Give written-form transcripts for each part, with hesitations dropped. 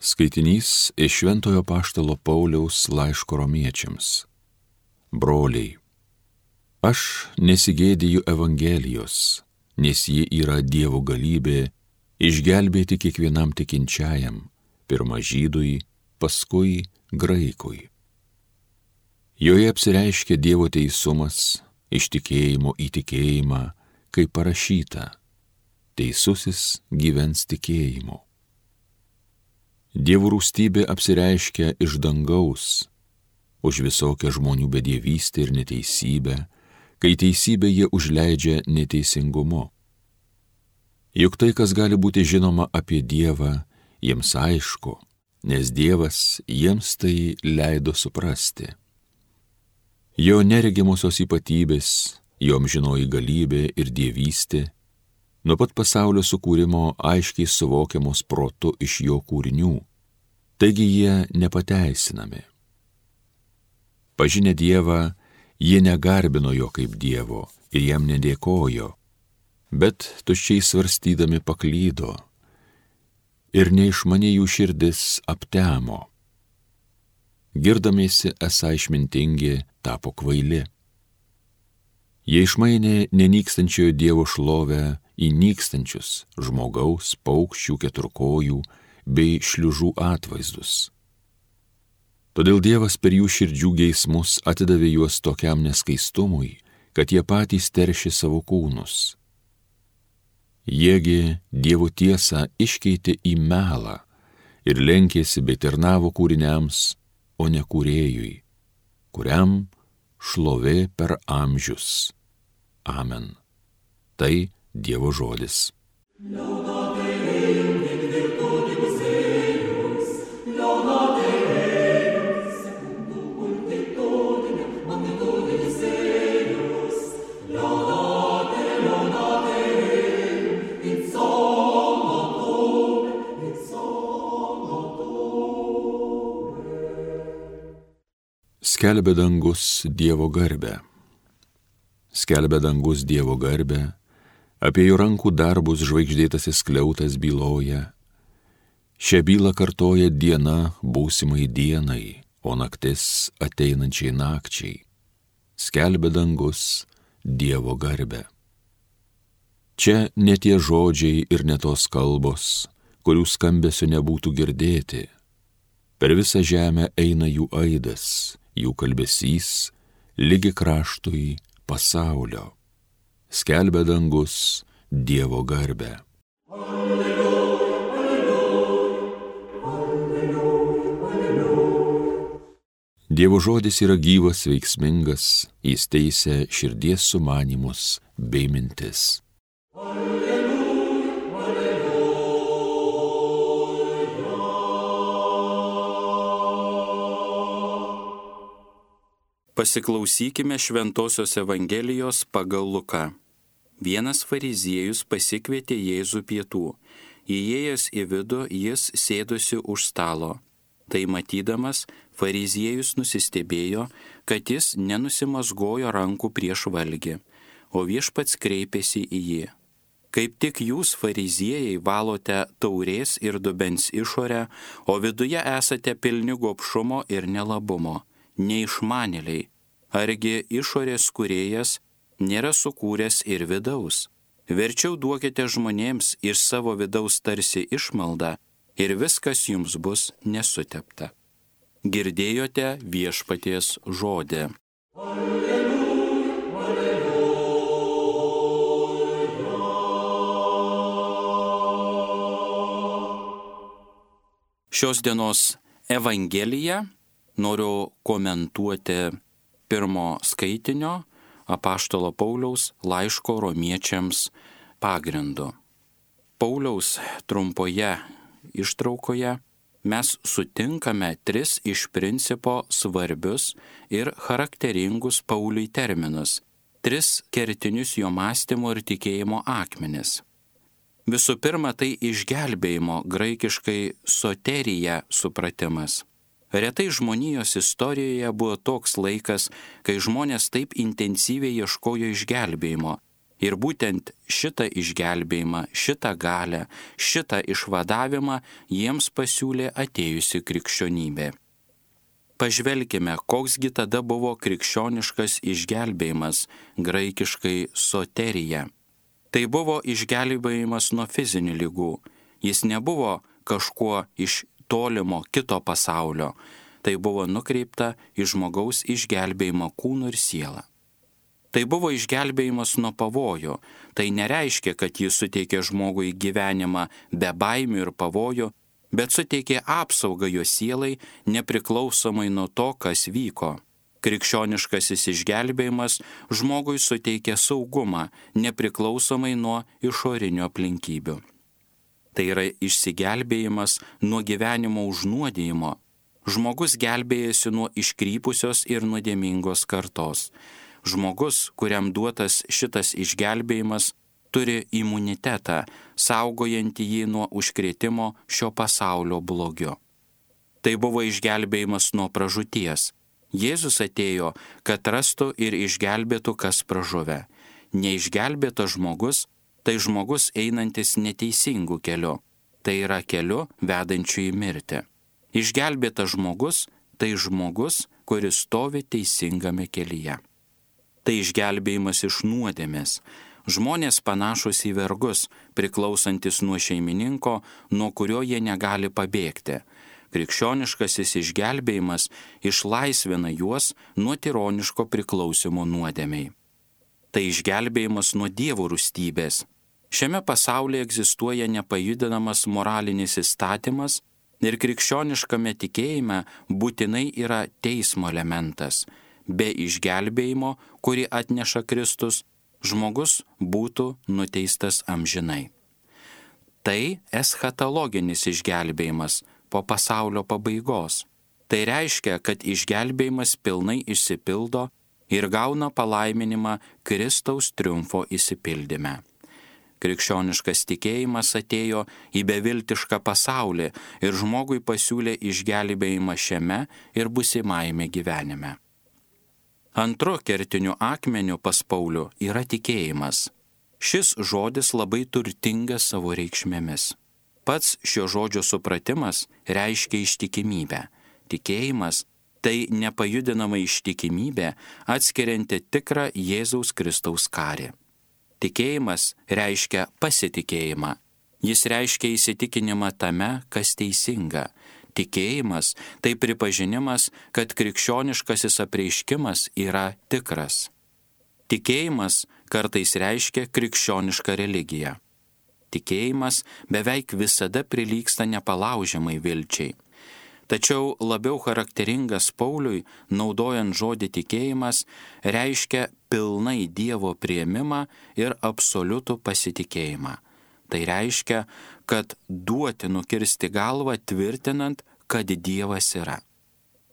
Skaitinys iš Šventojo Apaštalo Pauliaus laiško Romiečiams. Broliai, aš nesigėdiju Evangelijos, nes ji yra Dievo galybė išgelbėti kiekvienam tikinčiajam, pirma Žydui, paskui Graikui. Joje apsireiškia Dievo teisumas iš tikėjimo į tikėjimą, kaip parašyta, teisusis gyvens tikėjimu. Dievo rūstybė apsireiškia iš dangaus, už visokią žmonių bedievystę ir neteisybę, kai teisybę jie užleidžia neteisingumu. Juk tai, kas gali būti žinoma apie Dievą, jiems aišku, nes Dievas jiems tai leido suprasti. Jo neregimosios ypatybės, jo amžinoji galybė ir dievystė, nuo pat pasaulio sukūrimo aiškiai suvokiamos protu iš jo kūrinių, taigi jie nepateisinami. Pažinę Dievą, jie negarbino jo kaip Dievo ir jam nedėkojo, bet tuščiai svarstydami paklydo ir neišmanė jų širdis aptemo. Girdamiesi esą išmintingi, tapo kvaili. Jie išmainė nenykstančiojo Dievo šlovę į nykstančius žmogaus, paukščių, keturkojų bei šliužų atvaizdus. Todėl Dievas per jų širdžių geismus atidavė juos tokiam neskaistumui, kad jie patys teršė savo kūnus. Jiegi Dievo tiesą iškeitė į melą ir lenkėsi bei tarnavo kūriniams, o ne kūrėjui, kuriam šlovė per amžius. Amen. Tai Dievo žodis. Skelbia dangus Dievo garbę. Skelbia dangus Dievo garbę, apie jo rankų darbus žvaigždėtasis skliautas byloja. Šią bylą kartoja diena būsimai dienai, o naktis ateinančiai nakčiai. Skelbia dangus Dievo garbę. Čia ne tie žodžiai ir ne tos kalbos, kurių skambesio nebūtų girdėti. Per visą žemę eina jų aidas, jų kalbesys, lygi kraštui pasaulio. Skelbia dangus Dievo garbę. Alleluja, alleluja, alleluja, alleluja. Dievo žodis yra gyvas, veiksmingas, jis teisia širdies sumanymus bei mintis. Pasiklausykime Šventosios Evangelijos pagal Luką. Vienas fariziejus pasikvietė Jėzų pietų. Įėjęs į vidų, jis sėdosi už stalo. Tai matydamas, fariziejus nusistebėjo, kad jis nenusimazgojo rankų prieš valgį, o viešpats kreipėsi į jį. Kaip tik jūs, fariziejai, valote taurės ir dubens išorę, o viduje esate pilni gobšumo ir nelabumo. Neišmanėliai, argi išorės kūrėjas nėra sukūręs ir vidaus. Verčiau duokite žmonėms iš savo vidaus tarsi išmaldą ir viskas jums bus nesutepta. Girdėjote viešpaties žodį. Alleluja, alleluja. Šios dienos Evangeliją noriu komentuoti pirmo skaitinio apaštalo Pauliaus laiško Romiečiams pagrindu. Pauliaus trumpoje ištraukoje mes sutinkame tris iš principo svarbius ir charakteringus Pauliui terminus, tris kertinius jo mąstymo ir tikėjimo akmenis. Visų pirma, tai išgelbėjimo, graikiškai soterija supratimas. Retai žmonijos istorijoje buvo toks laikas, kai žmonės taip intensyviai ieškojo išgelbėjimo Ir būtent šitą išgelbėjimą, šitą galią, šitą išvadavimą jiems pasiūlė atėjusi krikščionybė. Pažvelkime, koksgi tada buvo krikščioniškas išgelbėjimas, graikiškai soterija. Tai buvo išgelbėjimas nuo fizinių ligų. Jis nebuvo kažkuo iš tolimo kito pasaulio. Tai buvo nukreipta į žmogaus išgelbėjimą kūnu ir sielą. Tai buvo išgelbėjimas nuo pavojų. Tai nereiškia, kad jis suteikė žmogui gyvenimą be baimių ir pavojų, bet suteikė apsaugą jo sielai nepriklausomai nuo to, kas vyko. Krikščioniškasis išgelbėjimas žmogui suteikė saugumą nepriklausomai nuo išorinių aplinkybių. Tai yra išsigelbėjimas nuo gyvenimo užnuodijimo. Žmogus gelbėjasi nuo iškrypusios ir nuodėmingos kartos. Žmogus, kuriam duotas šitas išgelbėjimas, turi imunitetą, saugojantį jį nuo užkrėtimo šio pasaulio blogiu. Tai buvo išgelbėjimas nuo pražūties. Jėzus atėjo, kad rastų ir išgelbėtų kas pražuvę. Neišgelbėtas žmogus, tai žmogus einantis neteisingų keliu. Tai yra keliu vedančiu į mirtį. Išgelbėtas žmogus, tai žmogus, kuris stovi teisingame kelyje. Tai išgelbėjimas iš nuodėmės. Žmonės panašus į vergus, priklausantis nuo šeimininko, nuo kurio jie negali pabėgti. Krikščioniškasis išgelbėjimas išlaisvina juos nuo tironiško priklausimo nuodėmei. Tai išgelbėjimas nuo dievų rūstybės. Šiame pasaulyje egzistuoja nepajudinamas moralinis įstatymas ir krikščioniškame tikėjime būtinai yra teismo elementas. Be išgelbėjimo, kurį atneša Kristus, žmogus būtų nuteistas amžinai. Tai eschatologinis išgelbėjimas po pasaulio pabaigos. Tai reiškia, kad išgelbėjimas pilnai išsipildo ir gauna palaiminimą Kristaus triumfo išsipildyme. Krikščioniškas tikėjimas atėjo į beviltišką pasaulį ir žmogui pasiūlė išgelbėjimą šiame ir būsimajame gyvenime. Antru kertiniu akmeniu pas Paulių yra tikėjimas. Šis žodis labai turtingas savo reikšmėmis. Pats šio žodžio supratimas reiškia ištikimybę. Tikėjimas tai nepajudinama ištikimybė, atskirianti tikrą Jėzaus Kristaus karį. Tikėjimas reiškia pasitikėjimą. Jis reiškia įsitikinimą tame, kas teisinga. Tikėjimas tai pripažinimas, kad krikščioniškasis apreiškimas yra tikras. Tikėjimas kartais reiškia krikščionišką religiją. Tikėjimas beveik visada prilygsta nepalaužiamai vilčiai. Tačiau labiau charakteringas Pauliui, naudojant žodį tikėjimas, reiškia pilnai Dievo priėmimą ir absoliutų pasitikėjimą. Tai reiškia, kad duoti nukirsti galvą tvirtinant, kad Dievas yra.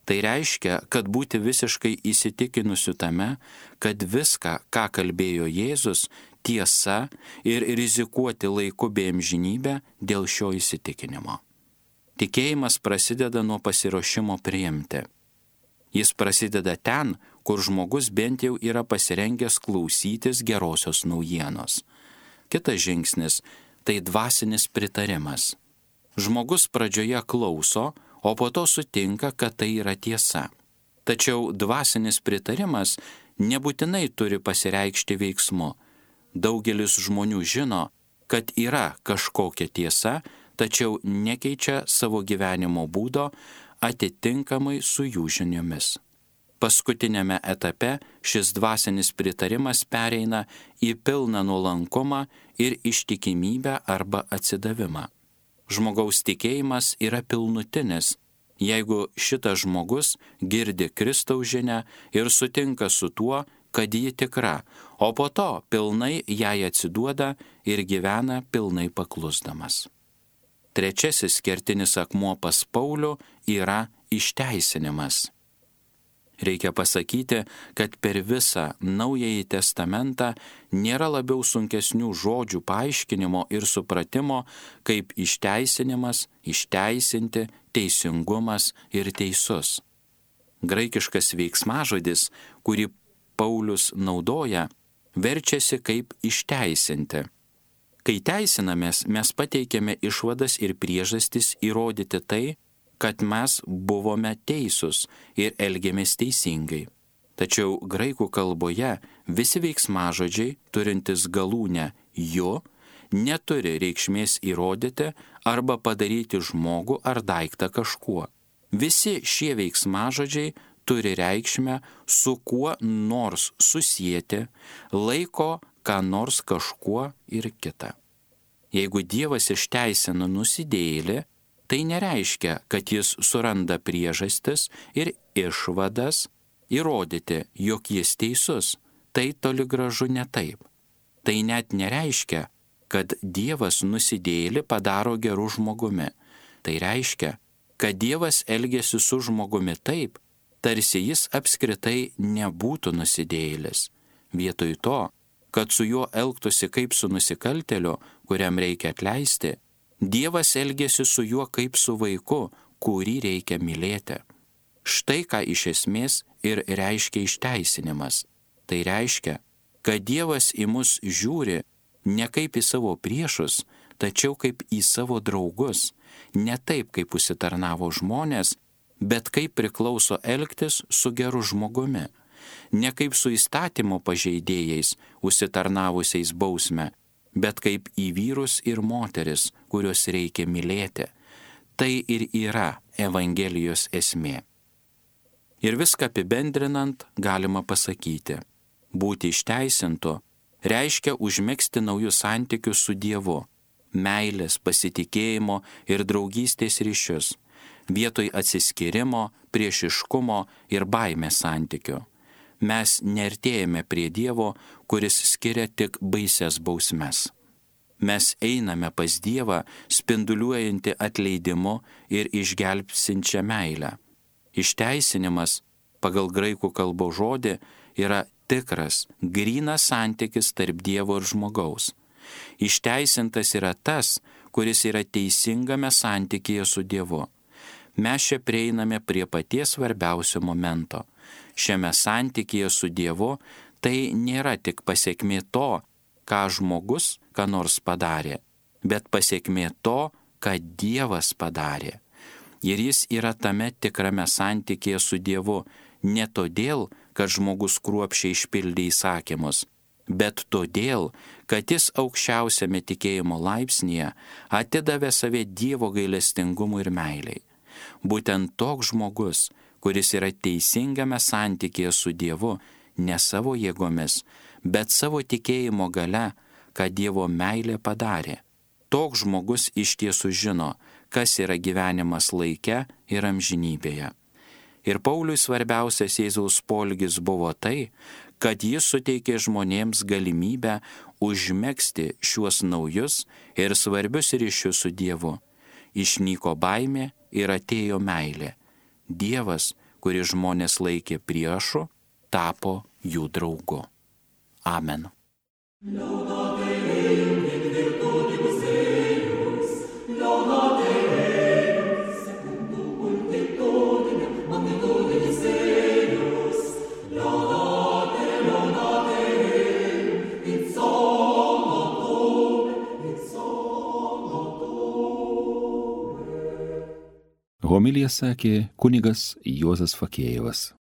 Tai reiškia, kad būti visiškai įsitikinusiu tame, kad viską, ką kalbėjo Jėzus, tiesa ir rizikuoti laiku bei amžinybę dėl šio įsitikinimo. Tikėjimas prasideda nuo pasiruošimo priimti. Jis prasideda ten, kur žmogus bent jau yra pasirengęs klausytis gerosios naujienos. Kitas žingsnis – tai dvasinis pritarimas. Žmogus pradžioje klauso, o po to sutinka, kad tai yra tiesa. Tačiau dvasinis pritarimas nebūtinai turi pasireikšti veiksmu. Daugelis žmonių žino, kad yra kažkokia tiesa, tačiau nekeičia savo gyvenimo būdo atitinkamai su jų žiniomis. Paskutinėme etape šis dvasinis pritarimas pereina į pilną nuolankumą ir ištikimybę arba atsidavimą. Žmogaus tikėjimas yra pilnutinis, jeigu šitas žmogus girdi Kristaus žinią ir sutinka su tuo, kad ji tikra, o po to pilnai jai atsiduoda ir gyvena pilnai paklusdamas. Trečiasis kertinis akmuo pas Paulių yra išteisinimas. Reikia pasakyti, kad per visą Naująjį testamentą nėra labiau sunkesnių žodžių paaiškinimo ir supratimo, kaip išteisinimas, išteisinti, teisingumas ir teisus. Graikiškas veiksmažodis, kurį Paulius naudoja, verčiasi kaip išteisinti. Kai teisinamės, mes pateikiame išvadas ir priežastis įrodyti tai, kad mes buvome teisūs ir elgėmės teisingai. Tačiau graikų kalboje visi veiksmažodžiai, turintys galūnę jo, neturi reikšmės įrodyti arba padaryti žmogų ar daiktą kažkuo. Visi šie veiksmažodžiai turi reikšmę su kuo nors susieti, laiko ką nors kažkuo ir kita. Jeigu Dievas išteisina nusidėjėlį, tai nereiškia, kad jis suranda priežastis ir išvadas įrodyti, jog jis teisus. Tai toli gražu ne taip. Tai net nereiškia, kad Dievas nusidėjėlį padaro geru žmogumi. Tai reiškia, kad Dievas elgiasi su žmogumi taip, tarsi jis apskritai nebūtų nusidėjėlis. Vietoj to, kad su juo elgtųsi kaip su nusikaltėliu, kuriam reikia atleisti, Dievas elgiasi su juo kaip su vaiku, kurį reikia mylėti. Štai ką iš esmės ir reiškia išteisinimas. Tai reiškia, kad Dievas į mus žiūri ne kaip į savo priešus, tačiau kaip į savo draugus, ne taip, kaip užsitarnavo žmonės, bet kaip priklauso elgtis su geru žmogumi, ne kaip su įstatymo pažeidėjais, užsitarnavusiais bausmę, bet kaip į vyrus ir moteris, kuriuos reikia mylėti. Tai ir yra Evangelijos esmė. Ir viską apibendrinant galima pasakyti, būti išteisintu reiškia užmegzti naujus santykius su Dievu, meilės, pasitikėjimo ir draugystės ryšius, vietoj atsiskyrimo, priešiškumo ir baimės santykių. Mes neartėjame prie Dievo, kuris skiria tik baises bausmes. Mes einame pas Dievą, spinduliuojantį atleidimu ir išgelbsinčią meilę. Išteisinimas, pagal graikų kalbos žodį, yra tikras, grynas santykis tarp Dievo ir žmogaus. Išteisintas yra tas, kuris yra teisingame santykyje su Dievu. Mes čia prieiname prie paties svarbiausio momento. Šiame santykyje su Dievu tai nėra tik pasiekmė to, ką žmogus ką nors padarė, bet pasiekmė to, ką Dievas padarė. Ir jis yra tame tikrame santykyje su Dievu ne todėl, kad žmogus kruopščiai išpildė įsakymus, bet todėl, kad jis aukščiausiame tikėjimo laipsnyje atidavė save Dievo gailestingumui ir meiliai. Būtent toks žmogus, kuris yra teisingame santykėje su Dievu, ne savo jėgomis, bet savo tikėjimo gale, ką Dievo meilė padarė. Toks žmogus iš tiesų žino, kas yra gyvenimas laike ir amžinybėje. Ir Pauliui svarbiausias Jėzaus poelgis buvo tai, kad jis suteikė žmonėms galimybę užmegzti šiuos naujus ir svarbius ryšius su Dievu. Išnyko baimė ir atėjo meilė. Dievas, kuris žmonės laikė priešu, tapo jų draugu. Amen. Homiliją sakė kunigas Juozas Fakėjevas.